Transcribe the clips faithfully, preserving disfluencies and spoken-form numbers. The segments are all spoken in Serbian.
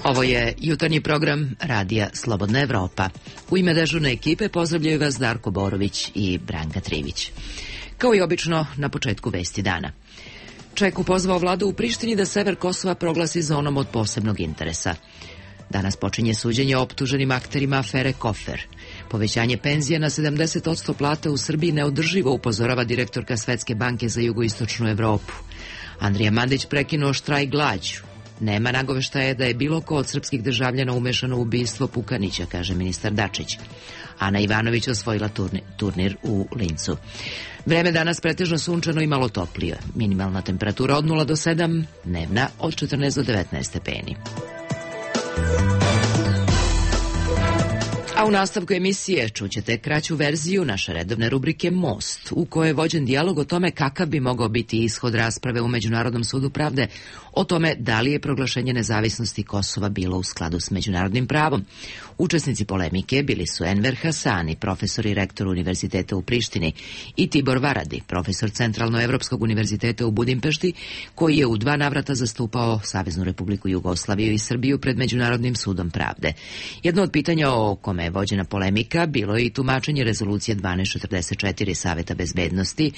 Ovo je jutarnji program Radija Slobodna Evropa. U ime dežurne ekipe pozdravljaju vas Darko Borović i Branka Trivić. Kao i obično, na početku vesti dana. Čeku pozvao vladu u Prištini da sever Kosova proglasi zonom od posebnog interesa. Danas počinje suđenje optuženim akterima afere Kofer. Povećanje penzija na sedamdeset posto plata u Srbiji neodrživo, upozorava direktorka Svetske banke za jugoistočnu Evropu. Andrija Mandić prekinuo štrajk glađu. Nema nagoveštaja da je bilo ko od srpskih državljana umešano u ubistvo Pukanića, kaže ministar Dačić. Ana Ivanović osvojila turnir, turnir u Lincu. Vreme danas pretežno sunčano i malo toplije. Minimalna temperatura od nula do sedam, dnevna od četrnaest do devetnaest stepeni. A u nastavku emisije čućete kraću verziju naše redovne rubrike Most, u kojoj je vođen dijalog o tome kakav bi mogao biti ishod rasprave u Međunarodnom sudu pravde, o tome da li je proglašenje nezavisnosti Kosova bilo u skladu s međunarodnim pravom. Učesnici polemike bili su Enver Hasani, profesor i rektor Univerziteta u Prištini, i Tibor Varadi, profesor Centralnoevropskog univerziteta u Budimpešti, koji je u dva navrata zastupao Saveznu Republiku Jugoslaviju i Srbiju pred Međunarodnim sudom pravde. Jedno od pitanja o kome je vođena polemika bilo je i tumačenje rezolucije dvanaest četrdeset četiri Saveta bezbednosti,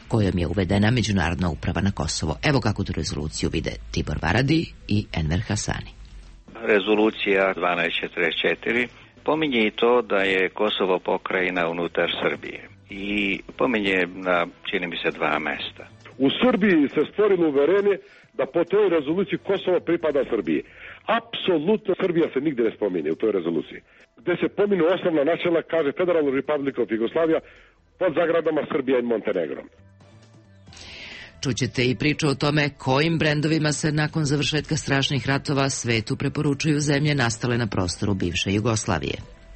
kojom je uvedena međunarodna uprava na Kosovo. Evo kako tu rezoluciju vide Tibor Varadi i Enver Hasani. Rezolucija dvanaest četrdeset četiri pominje i to da je Kosovo pokrajina unutar Srbije i pominje na, čini mi se, dva mesta. U Srbiji se stvorilo uverenje da po toj rezoluciji Kosovo pripada Srbiji. Apsolutno Srbija se nigde ne spominje u toj rezoluciji. Gde se pominu osnovna načela, kaže Federalna Republika of Jugoslavija pod zagradama Srbija i Montenegro. Čućete i priču o tome kojim brendovima se nakon završetka strašnih ratova svetu preporučuju zemlje nastale na prostoru bivše Jugoslavije.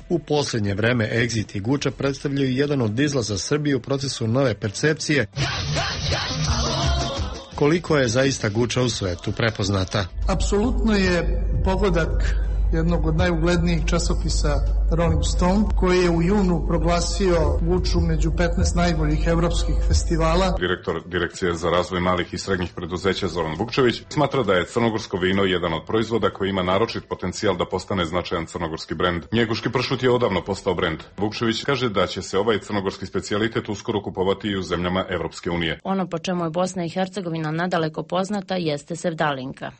U posljednje vreme Exit i Guča predstavljaju jedan od izlaza Srbije u procesu nove percepcije koliko je zaista Guča u svetu prepoznata. Apsolutno je pogodak jednog od najuglednijih časopisa Rolling Stone, koji je u junu proglasio Guču među petnaest najboljih evropskih festivala. Direktor Direkcije za razvoj malih i srednjih preduzeća Zoran Vukčević smatra da je crnogorsko vino jedan od proizvoda koji ima naročit potencijal da postane značajan crnogorski brend. Njeguški pršut je odavno postao brend. Vukčević kaže da će se ovaj crnogorski specijalitet uskoro kupovati i u zemljama Evropske unije. Ono po čemu je Bosna i Hercegovina nadaleko poznata jeste sevdalinka.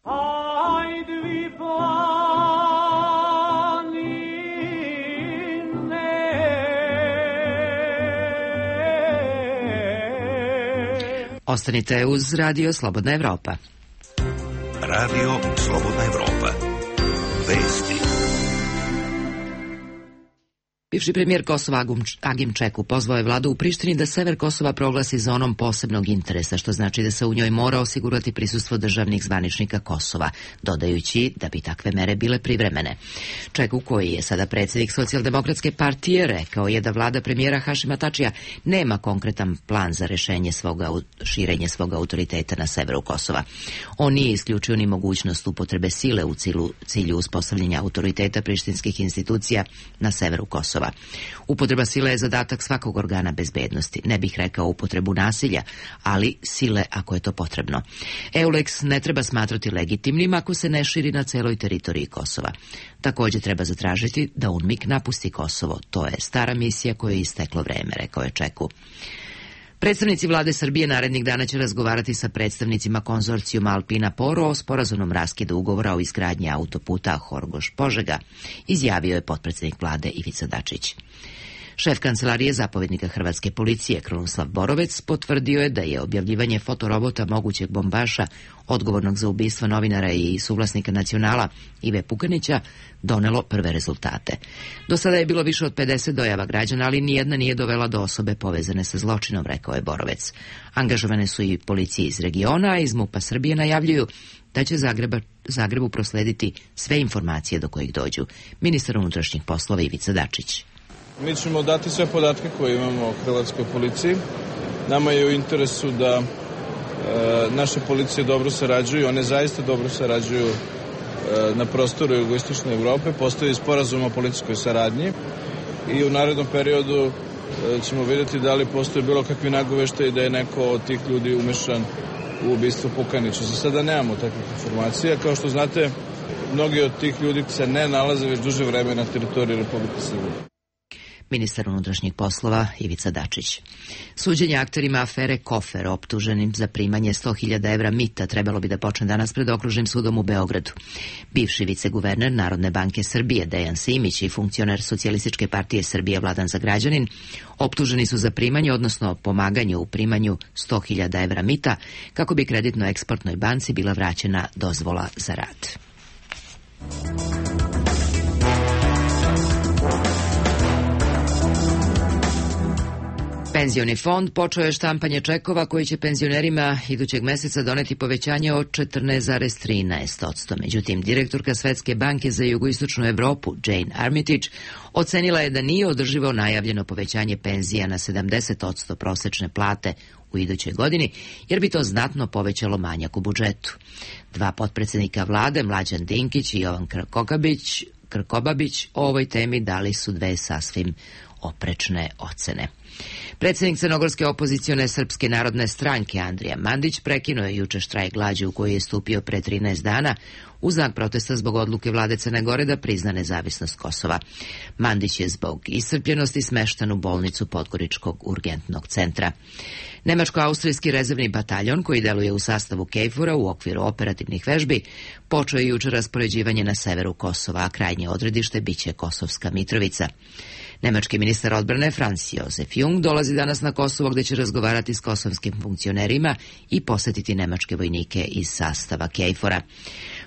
Ostanite uz Radio Slobodna Evropa. Radio Slobodna Evropa. Vesti. Bivši premijer Kosova Agim Čeku pozvao je vladu u Prištini da sever Kosova proglasi zonom posebnog interesa, što znači da se u njoj mora osigurati prisustvo državnih zvaničnika Kosova, dodajući da bi takve mere bile privremene. Čeku, koji je sada predsjednik Socijaldemokratske partije, rekao je da vlada premijera Hašima Tačija nema konkretan plan za rešenje svoga, širenje svog autoriteta na severu Kosova. On nije isključio ni mogućnost upotrebe sile u cilju, cilju uspostavljanja autoriteta prištinskih institucija na severu Kosova. Upotreba sile je zadatak svakog organa bezbednosti. Ne bih rekao upotrebu nasilja, ali sile ako je to potrebno. EULEX ne treba smatrati legitimnim ako se ne širi na celoj teritoriji Kosova. Također treba zatražiti da UNMIK napusti Kosovo. To je stara misija kojoj je isteklo vreme, rekao je Čeku. Predstavnici vlade Srbije narednih dana će razgovarati sa predstavnicima konzorcijuma Alpina Poro o sporazumnom raskidu ugovora o izgradnji autoputa Horgoš-Požega, izjavio je potpredsjednik vlade Ivica Dačić. Šef kancelarije zapovjednika hrvatske policije Krunoslav Borovec potvrdio je da je objavljivanje fotorobota mogućeg bombaša odgovornog za ubistvo novinara i suvlasnika Nacionala Ive Pukanića donelo prve rezultate. Do sada je bilo više od pedeset dojava građana, ali nijedna nije dovela do osobe povezane sa zločinom, rekao je Borovec. Angažovane su i policije iz regiona, a iz MUP-a Srbije najavljuju da će Zagreba, Zagrebu proslediti sve informacije do kojih dođu. Ministar unutrašnjih poslova Ivica Dačić. Mi ćemo dati sve podatke koje imamo o hrvatskoj policiji. Nama je u interesu da e, naše policije dobro sarađuju, one zaista dobro sarađuju e, na prostoru jugoistočne Evrope. Postoji sporazum o policijskoj saradnji i u narednom periodu e, ćemo vidjeti da li postoji bilo kakvi nagoveštaji da je neko od tih ljudi umešan u ubistvo Pukanića. Za sada nemamo takvih informacija. Kao što znate, mnogi od tih ljudi se ne nalaze već duže vreme na teritoriji Republike Srbije. Ministar unutrašnjih poslova Ivica Dačić. Suđenje akterima afere Kofer, optuženim za primanje sto hiljada evra mita, trebalo bi da počne danas pred Okružnim sudom u Beogradu. Bivši viceguverner Narodne banke Srbije Dejan Simić i funkcioner Socijalističke partije Srbije Vladan Zagrađanin optuženi su za primanje, odnosno pomaganje u primanju sto hiljada evra mita, kako bi kreditno-eksportnoj banci bila vraćena dozvola za rad. Penzioni fond počeo je štampanje čekova koji će penzionerima idućeg meseca doneti povećanje od četrnaest zarez trinaest posto. Međutim, direktorka Svetske banke za jugoistočnu Evropu, Jane Armitage, ocenila je da nije održivo najavljeno povećanje penzija na sedamdeset posto prosečne plate u idućoj godini, jer bi to znatno povećalo manjak u budžetu. Dva potpredsednika vlade, Mlađan Dinkić i Jovan Krkobabić, Krkobabić, o ovoj temi dali su dve sasvim oprečne ocene. Predsjednik crnogorske opozicione Srpske narodne stranke Andrija Mandić prekinuo je juče štrajk glađu u koji je stupio pre trinaest dana u znak protesta zbog odluke vlade Crne Gore da prizna nezavisnost Kosova. Mandić je zbog iscrpljenosti smešten u bolnicu Podgoričkog urgentnog centra. Nemačko-austrijski rezervni bataljon, koji deluje u sastavu KFOR-a u okviru operativnih vežbi, počeo je juče raspoređivanje na severu Kosova, a krajnje odredište biće Kosovska Mitrovica. Nemački ministar odbrane Franz Josef Jung dolazi danas na Kosovo, gde će razgovarati s kosovskim funkcionerima i posetiti nemačke vojnike iz sastava KFOR-a.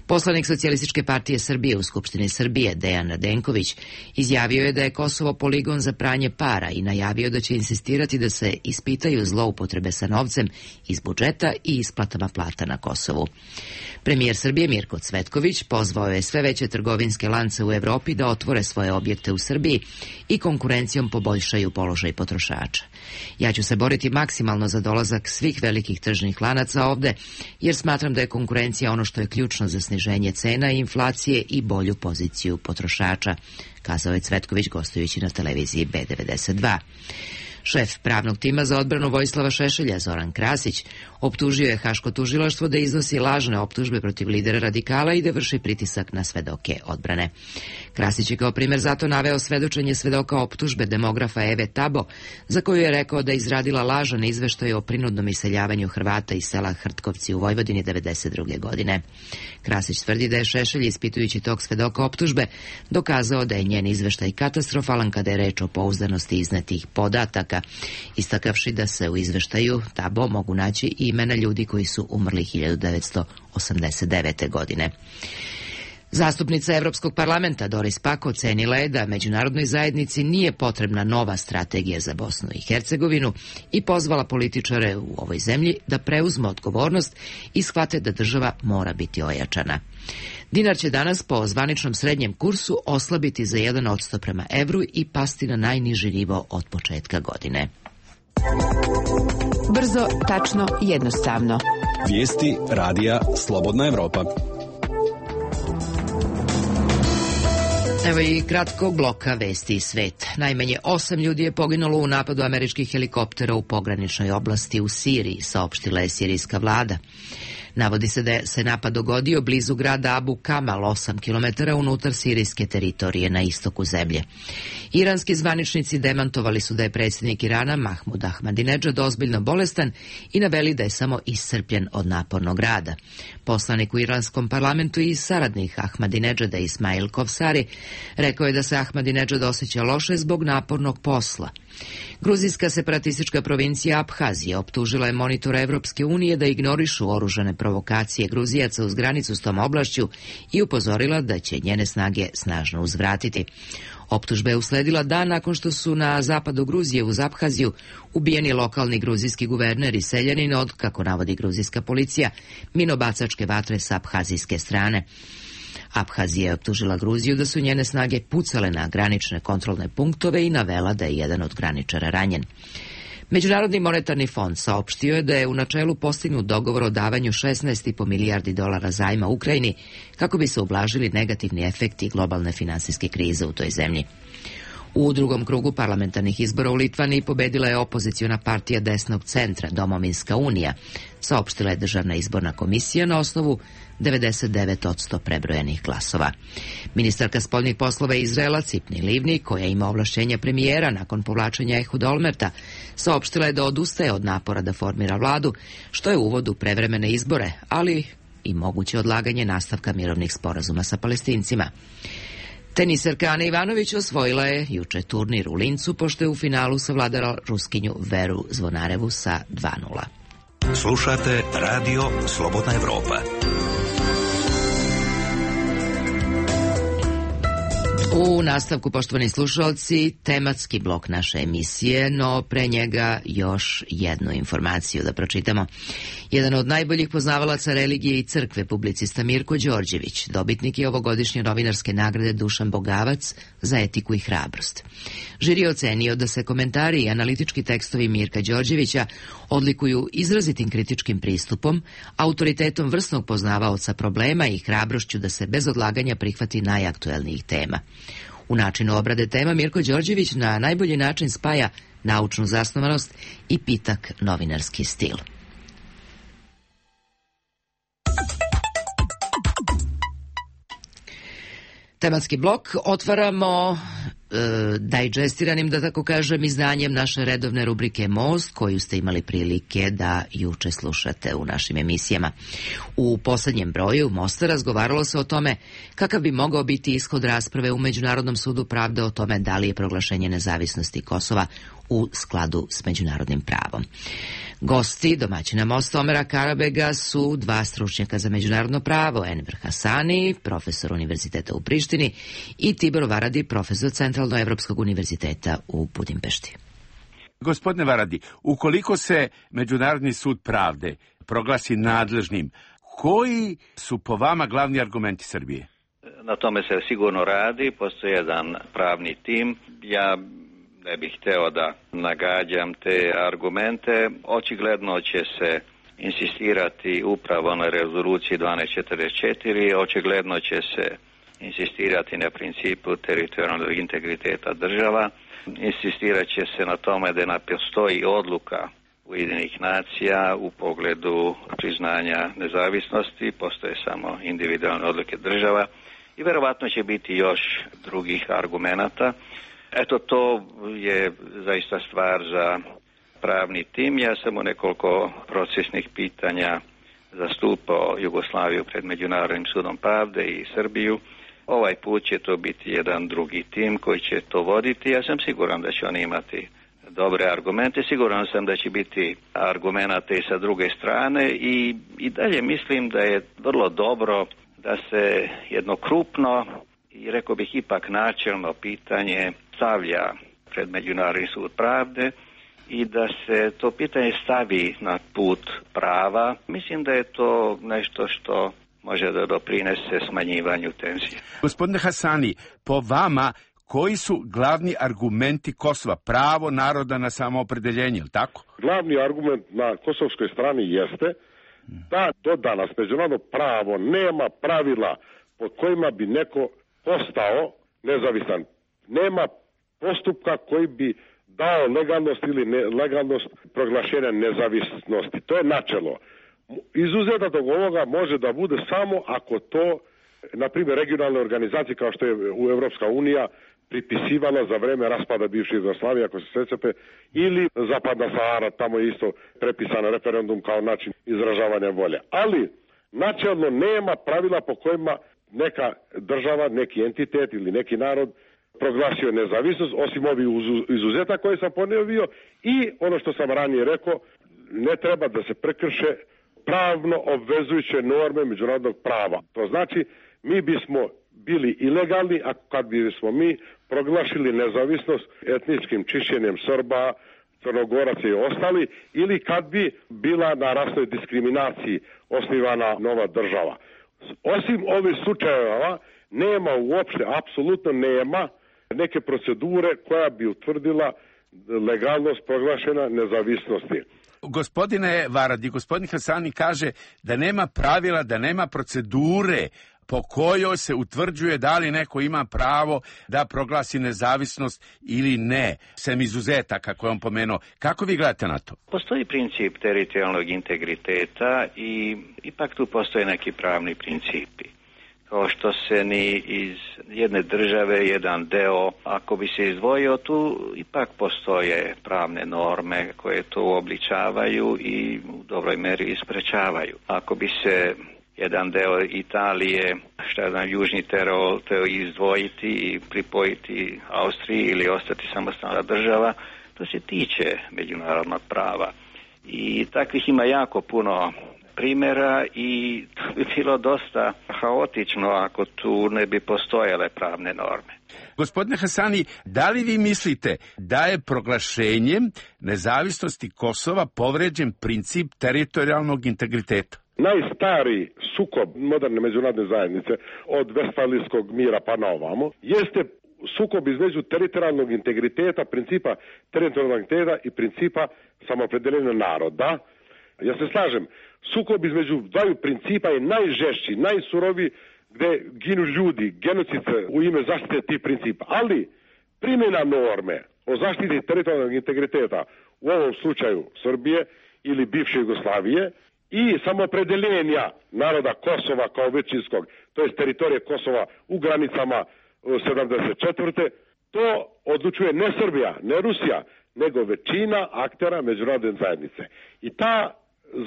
Poslanik Socijalističke partije Srbije u Skupštini Srbije, Dejan Radenković, izjavio je da je Kosovo poligon za pranje para i najavio da će insistirati da se ispitaju zloupotrebe sa novcem iz budžeta i isplatama plata na Kosovu. Premijer Srbije Mirko Cvetković pozvao je sve veće trgovinske lance u Evropi da otvore svoje objekte u Srbiji i konkurencijom poboljšaju položaj potrošača. Ja ću se boriti maksimalno za dolazak svih velikih tržnih lanaca ovde, jer smatram da je konkurencija ono što je ključno za sniženje cena i inflacije i bolju poziciju potrošača, kazao je Cvetković gostujući na televiziji B devedeset dva. Šef pravnog tima za odbranu Vojislava Šešelja, Zoran Krasić, optužio je Haško tužilaštvo da iznosi lažne optužbe protiv lidera radikala i da vrši pritisak na svedoke odbrane. Krasić je kao primer zato naveo svedočenje svedoka optužbe demografa Eve Tabo, za koju je rekao da je izradila lažan izveštaj o prinudnom iseljavanju Hrvata iz sela Hrtkovci u Vojvodini devedeset druge godine. Krasić tvrdi da je Šešelj, ispitujući tog svedoka optužbe, dokazao da je njen izveštaj katastrofalan kada je reč o pouzdanosti iznetih podataka, istakavši da se u izveštaju Tabo mogu naći i imena ljudi koji su umrli hiljadu devetsto osamdeset devete. godine. Zastupnica Evropskog parlamenta Doris Pack ocenila je da međunarodnoj zajednici nije potrebna nova strategija za Bosnu i Hercegovinu i pozvala političare u ovoj zemlji da preuzmu odgovornost i shvate da država mora biti ojačana. Dinar će danas po zvaničnom srednjem kursu oslabiti za jedan posto prema evru i pasti na najniži nivo od početka godine. Brzo, tačno, jednostavno. Vijesti radija Slobodna Evropa. Evo i kratkog bloka vesti i svet. Najmanje osam ljudi je poginulo u napadu američkih helikoptera u pograničnoj oblasti u Siriji, saopštila je sirijska vlada. Navodi se da se napad dogodio blizu grada Abu Kamal, osam kilometara unutar sirijske teritorije na istoku zemlje. Iranski zvaničnici demantovali su da je predsjednik Irana Mahmud Ahmadinedžad ozbiljno bolestan i naveli da je samo iscrpljen od napornog rada. Poslanik u iranskom parlamentu i saradnik Ahmadinedžada Ismail Kovsari rekao je da se Ahmadinedžad osjeća loše zbog napornog posla. Gruzijska separatistička provincija Abhazija optužila je monitora Evropske unije da ignorišu oružane provokacije Gruzijaca uz granicu s tom oblašću i upozorila da će njene snage snažno uzvratiti. Optužba je usledila dan nakon što su na zapadu Gruzije uz Abhaziju ubijeni lokalni gruzijski guverner i seljanin od, kako navodi gruzijska policija, minobacačke vatre sa abhazijske strane. Abhazija je optužila Gruziju da su njene snage pucale na granične kontrolne punktove i navela da je jedan od graničara ranjen. Međunarodni monetarni fond saopštio je da je u načelu postignut dogovor o davanju šesnaest zarez pet milijardi dolara zajma Ukrajini kako bi se ublažili negativni efekti globalne finansijske krize u toj zemlji. U drugom krugu parlamentarnih izbora u Litvaniji pobedila je opoziciona partija desnog centra Domovinska unija, saopštila je Državna izborna komisija na osnovu devedeset devet posto prebrojenih glasova. Ministarka spoljnih poslova Izraela Cipni Livni, koja ima ovlašćenja premijera nakon povlačenja Ehud Olmerta, saopštila je da odustaje od napora da formira vladu, što je uvod u prevremene izbore, ali i moguće odlaganje nastavka mirovnih sporazuma sa Palestincima. Teniserka Ana Ivanović osvojila je juče turnir u Lincu, pošto je u finalu savladala Ruskinju Veru Zvonarevu sa dva nula. Slušate Radio Slobodna Evropa. U nastavku, poštovani slušalci, tematski blok naše emisije, no pre njega još jednu informaciju da pročitamo. Jedan od najboljih poznavalaca religije i crkve, publicista Mirko Đorđević, dobitnik je ovogodišnje novinarske nagrade Dušan Bogavac za etiku i hrabrost. Žiri je ocenio da se komentari i analitički tekstovi Mirka Đorđevića odlikuju izrazitim kritičkim pristupom, autoritetom vrsnog poznavaoca problema i hrabrošću da se bez odlaganja prihvati najaktuelnijih tema. U načinu obrade tema Mirko Đorđević na najbolji način spaja naučnu zasnovanost i pitak novinarski stil. Tematski blok otvaramo e, dajđestiranim, da tako kažem, izdanjem naše redovne rubrike Most, koju ste imali prilike da juče slušate u našim emisijama. U poslednjem broju Mosta razgovaralo se o tome kakav bi mogao biti ishod rasprave u Međunarodnom sudu pravde o tome da li je proglašenje nezavisnosti Kosova u skladu s međunarodnim pravom. Gosti domaćina Mosta Omera Karabega su dva stručnjaka za međunarodno pravo, Enver Hasani, profesor univerziteta u Prištini, i Tibor Varadi, profesor Centralnoevropskog univerziteta u Budimpešti. Gospodine Varadi, ukoliko se Međunarodni sud pravde proglasi nadležnim, koji su po vama glavni argumenti Srbije? Na tome se sigurno radi, postoji jedan pravni tim. Ja ne bih hteo da nagađam te argumente. Očigledno će se insistirati upravo na rezoluciji dvanaest četrdeset četiri, očigledno će se insistirati na principu teritorijalnog integriteta država, insistirat će se na tome da ne postoji odluka Ujedinjenih nacija u pogledu priznanja nezavisnosti, postoje samo individualne odluke država i verovatno će biti još drugih argumenata. Eto, to je zaista stvar za pravni tim. Ja sam u nekoliko procesnih pitanja zastupao Jugoslaviju pred Međunarodnim sudom pravde i Srbiju. Ovaj put će to biti jedan drugi tim koji će to voditi. Ja sam siguran da će oni imati dobre argumente. Siguran sam da će biti argumenata i sa druge strane i, i dalje mislim da je vrlo dobro da se jedno krupno i rekao bih ipak načelno pitanje stavlja pred Međunarodni sud pravde i da se to pitanje stavi na put prava. Mislim da je to nešto što može da doprinese smanjivanju tenzije. Gospodine Hasani, po vama, koji su glavni argumenti Kosova? Pravo naroda na samoopredeljenje, ili tako? Glavni argument na kosovskoj strani jeste da do danas međunarodno pravo nema pravila pod kojima bi neko postao nezavisan. Nema postupka koji bi dao legalnost ili nelegalnost proglašenja nezavisnosti. To je načelo. Izuzetak od ovoga može da bude samo ako to, na primjer, regionalne organizacije kao što je u Evropska unija pripisivala za vreme raspada bivše Jugoslavije, ako se sjećate, ili Zapadna Sahara, tamo je isto prepisano referendum kao način izražavanja volje. Ali načelno nema pravila po kojima neka država, neki entitet ili neki narod proglasio nezavisnost, osim ovih izuzeta koje sam ponovio, i ono što sam ranije rekao, ne treba da se prekrše pravno obvezujuće norme međunarodnog prava. To znači, mi bismo bili ilegalni a kad bismo mi proglašili nezavisnost etničkim čišćenjem Srba, Crnogoraca i ostali, ili kad bi bila na rasnoj diskriminaciji osnivana nova država. Osim ovih slučajeva nema uopšte, apsolutno nema neke procedure koja bi utvrdila legalnost proglašena nezavisnosti. Gospodine Varadi, gospodin Hasani kaže da nema pravila, da nema procedure po kojoj se utvrđuje da li neko ima pravo da proglasi nezavisnost ili ne, sem izuzetaka koje on pomenuo. Kako vi gledate na to? Postoji princip teritorijalnog integriteta i ipak tu postoje neki pravni principi. Kao što se ni iz jedne države jedan deo, ako bi se izdvojio, tu ipak postoje pravne norme koje to uobličavaju i u dobroj meri isprečavaju. Ako bi se jedan deo Italije, šta znam, Južni Tirol, teo izdvojiti i pripojiti Austriji ili ostati samostalna država, to se tiče međunarodnog prava. I takvih ima jako puno primjera i to bi bilo dosta haotično ako tu ne bi postojale pravne norme. Gospodine Hasani, da li vi mislite da je proglašenjem nezavisnosti Kosova povređen princip teritorijalnog integriteta? Najstariji sukob moderne međunarodne zajednice od Vestfalijskog mira pa na ovamo jeste sukob između teritorijalnog integriteta, principa teritorijalnog integriteta i principa samoopredeljenja naroda. Ja se slažem, sukob između dvaju principa je najžešći, najsuroviji, gde ginu ljudi, genocid u ime zaštite tih principa. Ali primjena norme o zaštiti teritorijalnog integriteta u ovom slučaju Srbije ili bivše Jugoslavije i samoopredeljenja naroda Kosova kao većinskog, to je teritorije Kosova u granicama sedamdeset četvrte to odlučuje ne Srbija, ne Rusija, nego većina aktera međunarodne zajednice. I ta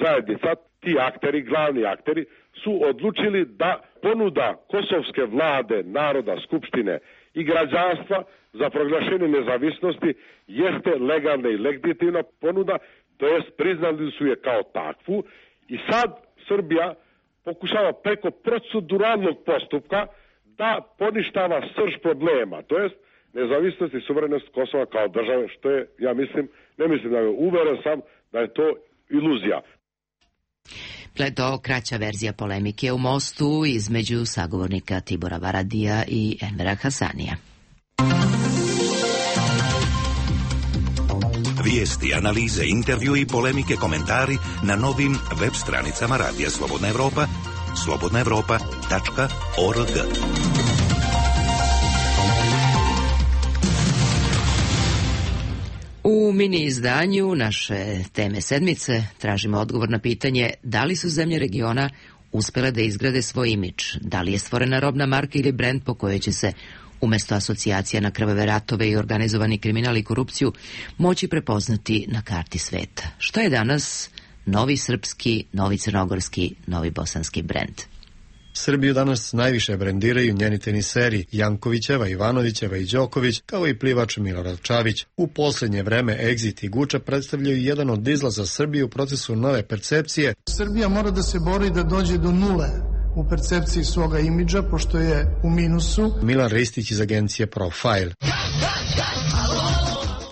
zajednica, ti akteri, glavni akteri, su odlučili da ponuda kosovske vlade, naroda, skupštine i građanstva za proglašenje nezavisnosti jeste legalna i legitimna ponuda, to jest priznali su je kao takvu i sad Srbija pokušava preko proceduralnog postupka da poništava srž problema, to jest nezavisnost i suverenost Kosova kao države, što je, ja mislim, ne mislim da je, uveren sam da je to iluzija. To kraća verzija polemike u mostu između sagovornika Tibora Varadija i Envera Hasanija. Vijesti, analize, intervju i polemike, komentari na novim web stranicama Radija Slobodna Evropa, slobodna evropa tačka org. U mini izdanju naše teme sedmice tražimo odgovor na pitanje da li su zemlje regiona uspjele da izgrade svoj imidž, da li je stvorena robna marka ili brend po kojoj će se umjesto asocijacija na krvave ratove i organizovani kriminal i korupciju moći prepoznati na karti sveta. Šta je danas novi srpski, novi crnogorski, novi bosanski brend? Srbiju danas najviše brendiraju njeni teniseri Jankovićeva, Ivanovićeva i Đoković, kao i plivač Milorad Čavić. U posljednje vreme Exit i Guča predstavljaju jedan od izlaza Srbije u procesu nove percepcije. Srbija mora da se bori da dođe do nule u percepciji svoga imidža, pošto je u minusu. Milan Ristić iz agencije Profile.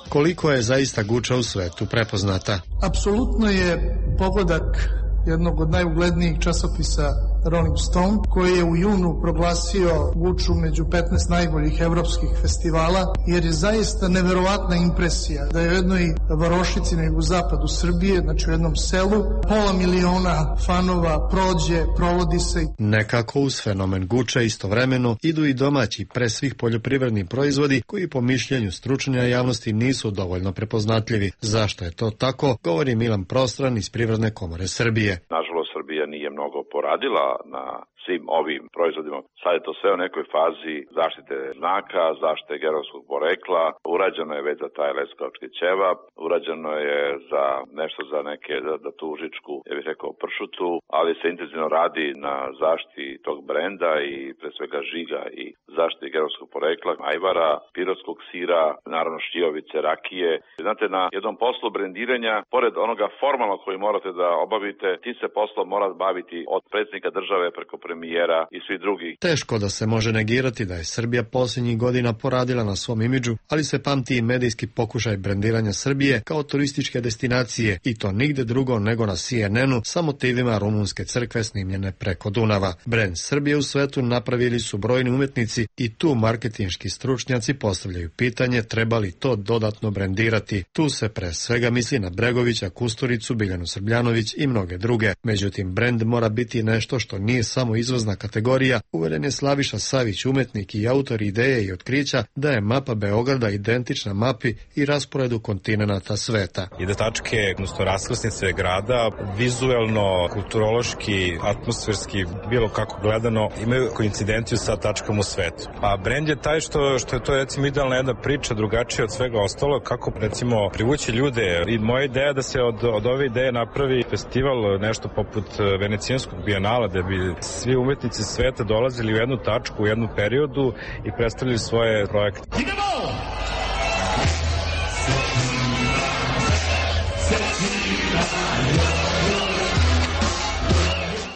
Koliko je zaista Guča u svetu prepoznata? Apsolutno je pogodak jednog od najuglednijih časopisa Rolling Stone, koji je u junu proglasio Guču među petnaest najboljih evropskih festivala, jer je zaista neverovatna impresija da je u jednoj varošici na jugozapadu Srbije, znači u jednom selu, pola miliona fanova prođe, provodi se. Nekako uz fenomen Guča istovremeno idu i domaći, pre svih poljoprivredni proizvodi, koji po mišljenju stručnja javnosti nisu dovoljno prepoznatljivi. Zašto je to tako, govori Milan Prostran iz Privredne komore Srbije. Nažalost, Srbija nije mnogo poradila na svim ovim proizvodima. Sad je to sve u nekoj fazi zaštite znaka, zaštite geografskog porekla. Urađeno je već za taj leskovački ćevap, urađeno je za nešto za neke, za, za tu užičku, ja bih rekao pršutu, ali se intenzivno radi na zaštiti tog brenda i pre svega žiga i zaštiti geografskog porekla, ajvara, pirotskog sira, naravno šljivovice, rakije. Znate, na jednom poslu brendiranja, pored onoga formalno koji morate da obavite, tim se poslom mora baviti od predsjednika države preko premijera i svi drugi. Teško da se može negirati da je Srbija posljednjih godina poradila na svom imidžu, ali se pamti i medijski pokušaj brendiranja Srbije kao turističke destinacije i to nigde drugo nego na C N N-u sa motivima rumunske crkve snimljene preko Dunava. Brend Srbije u svetu napravili su brojni umetnici i tu marketinški stručnjaci postavljaju pitanje treba li to dodatno brendirati. Tu se pre svega misli na Bregovića, Kusturicu, Biljanu Srbljanović i mnoge druge. Međutim, brend mora mora biti nešto što nije samo izvozna kategorija, uveren je Slaviša Savić, umetnik i autor ideje i otkrića da je mapa Beograda identična mapi i rasporedu kontinenata sveta. I da tačke, odnosno raskrsnice grada, vizuelno, kulturološki, atmosferski, bilo kako gledano, imaju koincidenciju sa tačkom u svetu. A brend je taj što, što je to recimo idealna jedna priča, drugačija od svega ostalo, kako recimo privući ljude. I moja ideja da se od, od ove ideje napravi festival, nešto poput Venecijanskog bijenala, da bi svi umetnici sveta dolazili u jednu tačku, u jednu periodu i predstavili svoje projekte.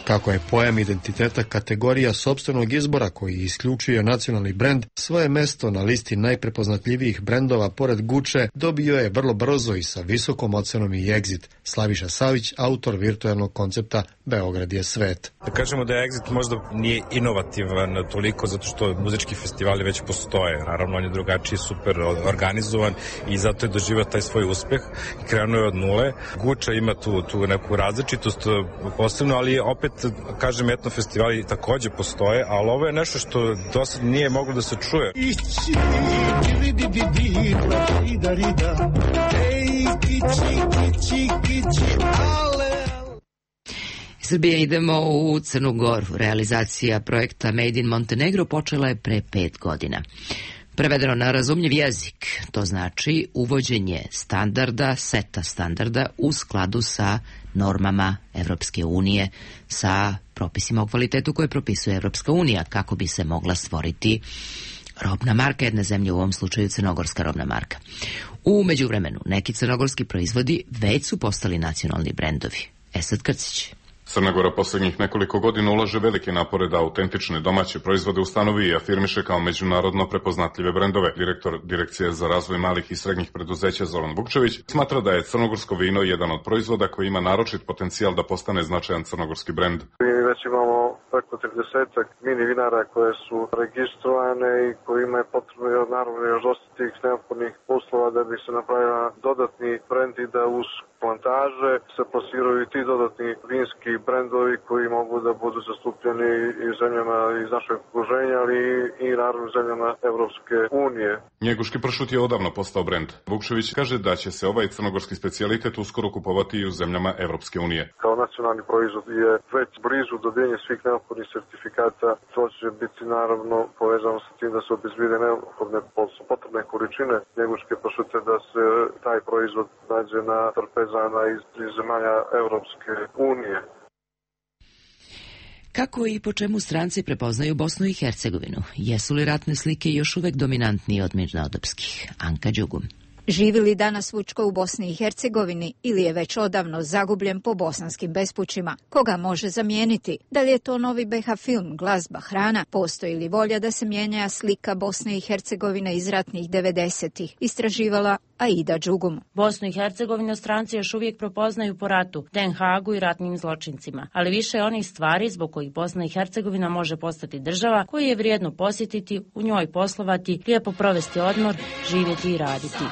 Kako je pojam identiteta kategorija sopstvenog izbora koji isključuje nacionalni brend, svoje mesto na listi najprepoznatljivijih brendova pored Gucci dobio je vrlo brzo i sa visokom ocenom i Exit. Slaviša Savić, autor virtualnog koncepta Beograd je svet. Da kažemo da Exit možda nije inovativan toliko zato što muzički festivali već postoje. Naravno, on je drugačiji, super organizovan i zato je doživio taj svoj uspeh i krenuo je od nule. Gucci ima tu, tu neku različitost posebno, ali opet kažem, etno festivali takođe postoje, ali ovo je nešto što do sad nije moglo da se čuje. Srbija idemo u Crnu Goru. Realizacija projekta Made in Montenegro počela je pre pet godina. Prevedeno na razumljiv jezik, to znači uvođenje standarda, seta standarda u skladu sa normama Evropske unije, sa propisima o kvalitetu koje propisuje Evropska unija, kako bi se mogla stvoriti robna marka jedne zemlje, u ovom slučaju crnogorska robna marka. U međuvremenu, neki crnogorski proizvodi već su postali nacionalni brendovi. Esad Krcić. Crna Gora posljednjih nekoliko godina ulaže velike napore da autentične domaće proizvode ustanovi i afirmiše kao međunarodno prepoznatljive brendove. Direktor Direkcije za razvoj malih i srednjih preduzeća Zoran Vukčević smatra da je crnogorsko vino jedan od proizvoda koji ima naročit potencijal da postane značajan crnogorski brend. Mi već imamo preko tridesetak mini vinara koje su registrovane i kojima je potrebno naravno još dosta tih neophodnih uslova da bi se napravila dodatni brend i da uz plantaže se plasiraju i ti dodatni vinski brendovi koji mogu da budu zastupljeni i zemljama iz našeg okruženja, ali i naravno zemljama Evropske unije. Njeguški pršut je odavno postao brend. Vukčević kaže da će se ovaj crnogorski specijalitet uskoro kupovati i u zemljama Evropske unije. Kao nacionalni proizvod je već blizu dobijenja svih neophodnih sertifikata. To će biti naravno povezano sa tim da se obezbede neophodne potrebne količine njeguške pršute, da se taj proizvod nađe na trpezama iz zemalja Evropske unije. Kako i po čemu stranci prepoznaju Bosnu i Hercegovinu? Jesu li ratne slike još uvek dominantniji od mirnodopskih? Anka Đugum. Živi li danas Vučko u Bosni i Hercegovini ili je već odavno zagubljen po bosanskim bespućima? Koga može zamijeniti? Da li je to novi be ha film, glazba, hrana? Postoji li volja da se mijenja slika Bosne i Hercegovine iz ratnih devedesetih? Istraživala Aida Đugum. Bosnu i Hercegovinu stranci još uvijek prepoznaju po ratu, Den Hagu i ratnim zločincima, ali više je onih stvari zbog kojih Bosna i Hercegovina može postati država koju je vrijedno posjetiti, u njoj poslovati, lijepo provesti odmor, živjeti i raditi.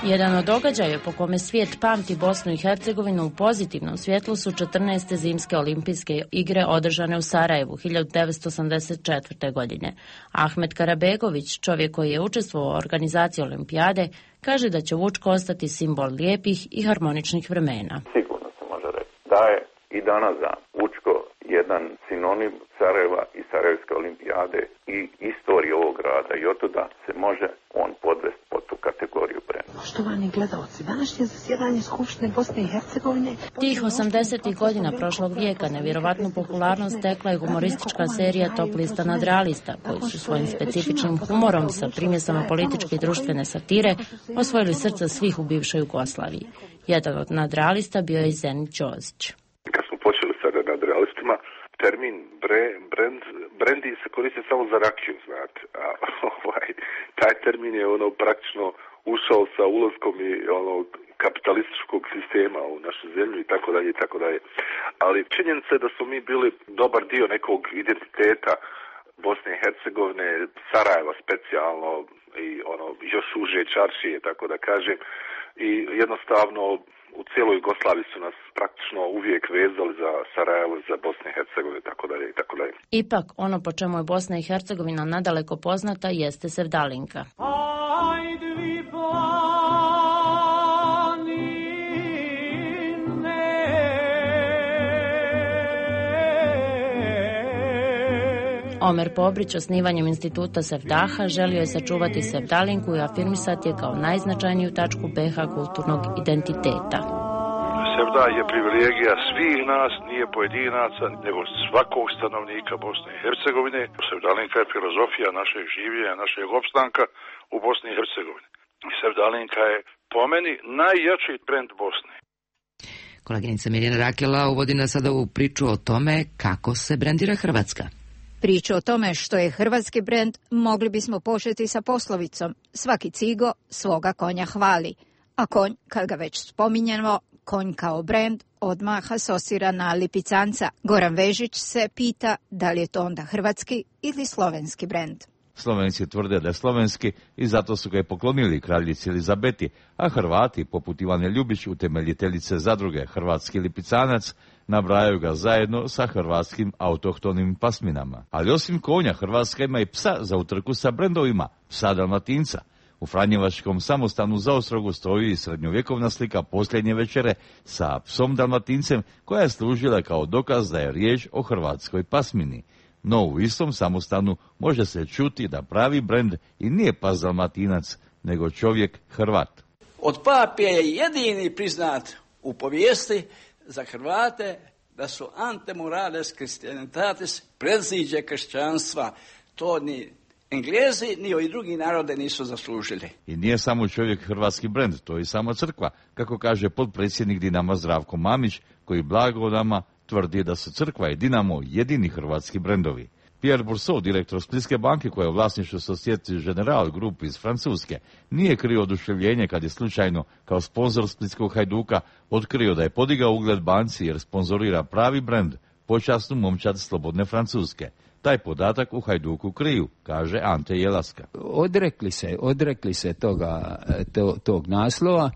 Jedan od događaja po kome svijet pamti Bosnu i Hercegovinu u pozitivnom svjetlu su četrnaeste zimske olimpijske igre održane u Sarajevu hiljadu devetsto osamdeset četvrte. godine. Ahmet Karabegović, čovjek koji je učestvovao u organizaciji olimpijade, kaže da će Vučko ostati simbol lijepih i harmoničnih vremena. Sigurno se može reći da je i danas dan Vučko jedan sinonim Sarajeva i Sarajevske olimpijade i istorije ovog grada i otuda se može on podvesti pod tu kategoriju brenda. Poštovani gledalci, današnje zasjedanje Skupštine Bosne i Hercegovine... Tih osamdesetih godina prošlog vijeka nevjerovatnu popularnost stekla je humoristička serija Top lista nadrealista, koji su svojim specifičnim humorom sa primjesama političke i društvene satire osvojili srca svih u bivšoj Jugoslaviji. Jedan od nadrealista bio je Zenit Đozić. Kad smo počeli sa nadrealistima, termin bre, brand, brendi se koristi samo za rakiju, znate. A, ovaj, taj termin je ono praktično ušao sa ulaskom i ono kapitalističkog sistema u našu zemlju i tako dalje i tako dalje. Ali činjenica je da smo mi bili dobar dio nekog identiteta Bosne i Hercegovine, Sarajeva specijalno i ono još uže čaršije, tako da kažem. I jednostavno u cijeloj Jugoslaviji su nas praktično uvijek vezali za Sarajevo, za Bosnu i Hercegovinu i tako dalje i tako dalje. Ipak, ono po čemu je Bosna i Hercegovina nadaleko poznata jeste sevdalinka. Omer Pobrić osnivanjem instituta Sevdaha želio je sačuvati sevdalinku i afirmisati je kao najznačajniju tačku B iH kulturnog identiteta. Sevda je privilegija svih nas, nije pojedinaca, nego svakog stanovnika Bosne i Hercegovine. Sevdalinka je filozofija našeg življenja, našeg opstanka u Bosni i Hercegovini. Sevdalinka je po meni najjači brend Bosne. Koleginica Mirjana Rakela uvodi nas sada u priču o tome kako se brendira Hrvatska. Priču o tome što je hrvatski brend mogli bismo početi sa poslovicom svaki cigo svoga konja hvali, a konj, kad ga već spominjemo, konj kao brend odmah asocira na lipicanca. Goran Vežić se pita da li je to onda hrvatski ili slovenski brend. Slovenci tvrde da je slovenski i zato su ga i poklonili kraljici Elizabeti, a Hrvati, poput Ivane Ljubić, utemeljiteljice zadruge Hrvatski lipicanac, nabrajaju ga zajedno sa hrvatskim autohtonim pasminama. Ali osim konja, Hrvatska ima i psa za utrku sa brendovima, psa Dalmatinca. U Franjevačkom samostanu za Ostrogu stoji srednjovjekovna slika posljednje večere sa psom Dalmatincem koja je služila kao dokaz da je riječ o hrvatskoj pasmini. No u istom samostanu može se čuti da pravi brend i nije pas Dalmatinac, nego čovjek Hrvat. Od pape je jedini priznat u povijesti za Hrvate da su antemorales christianitatis, predziđe kršćanstva. To ni Englezi ni ovi drugi narode nisu zaslužili. I nije samo čovjek hrvatski brend, to je i sama crkva, kako kaže potpredsjednik Dinama Zdravko Mamić, koji blago nama tvrdi da su crkva i Dinamo jedini hrvatski brendovi. Pierre Bourseau, direktor Splitske banke koja je u vlasništvu Societe Generale Group iz Francuske, nije krio oduševljenje kad je slučajno kao sponzor Splitskog Hajduka otkrio da je podigao ugled banci jer sponzorira pravi brend, počasnu momčad Slobodne Francuske. Taj podatak u Hajduku kriju, kaže Ante Jelaska. Odrekli se, odrekli se toga, to, tog naslova,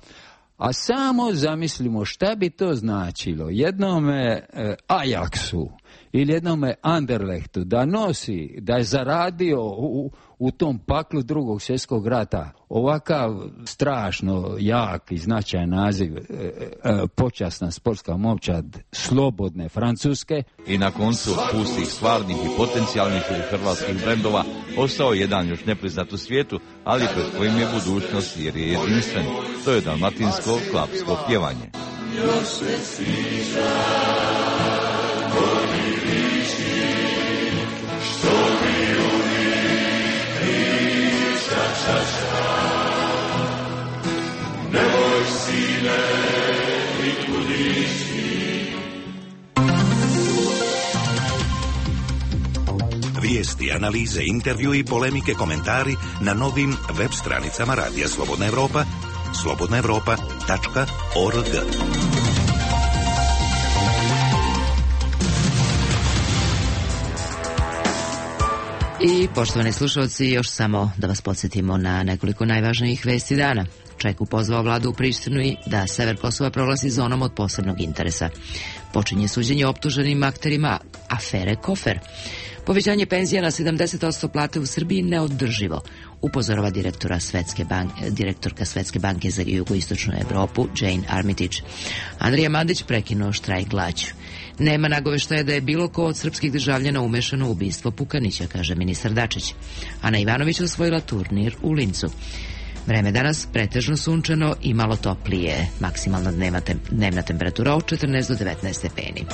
a samo zamislimo šta bi to značilo jednome e, Ajaxu ili jednome Anderlechtu da nosi, da je zaradio u, u tom paklu drugog svjetskog rata ovakav strašno jak i značajan naziv e, e, počasna sportska momčad Slobodne Francuske. I na koncu pustih stvarnih i potencijalnih hrvatskih brendova ostao jedan još nepriznat u svijetu, ali pred kojim je budućnost jer je jedinstven. To je dalmatinsko klapsko pjevanje. Još se sviđa, što mi uvijek priča čača. Nemoj sine i kudići. Vijesti, analize, intervju i polemike, komentari na novim web stranicama Radija Slobodna Evropa, slobodna evropa tačka org. I poštovani slušalci, još samo da vas podsjetimo na nekoliko najvažnijih vesti dana. Čeku pozvao vladu u Prištinu i da sever Kosova proglasi zonom od posebnog interesa. Počinje suđenje optuženim akterima afere Kofer. Povećanje penzija na sedamdeset posto plate u Srbiji neodrživo, upozorava direktora Svetske banke, direktorka Svetske banke za jugoistočnu Evropu Jane Armitage. Andrija Mandić prekinuo štrajk glađu. Nema nagoveštaja da je bilo ko od srpskih državljana umešano u ubistvo Pukanića, kaže ministar Dačić. Ana Ivanović osvojila turnir u Lincu. Vreme danas pretežno sunčano i malo toplije, maksimalna dnevna, tem, dnevna temperatura od četrnaest do devetnaest stepeni.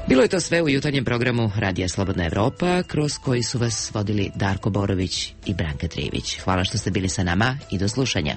Bilo je to sve u jutarnjem programu Radija Slobodna Evropa, kroz koji su vas vodili Darko Borović i Branka Trivić. Hvala što ste bili sa nama i do slušanja.